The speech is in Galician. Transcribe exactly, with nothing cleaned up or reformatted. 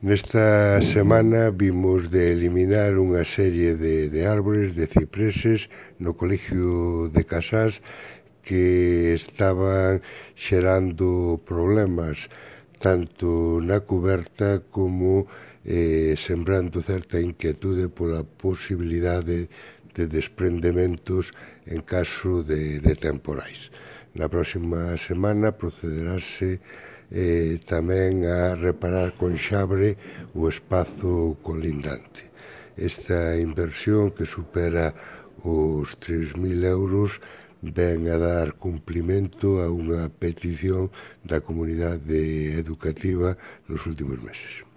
Nesta semana vimos de eliminar unha serie de, de árbores, de cipreses, no Colegio de Casás, que estaban xerando problemas tanto na cuberta como eh, sembrando certa inquietude pola posibilidade de desprendementos en caso de, de temporais. Na próxima semana procederase eh, tamén a reparar con xabre o espazo colindante. Esta inversión, que supera os tres mil euros, ven a dar cumplimento a unha petición da comunidade educativa nos últimos meses.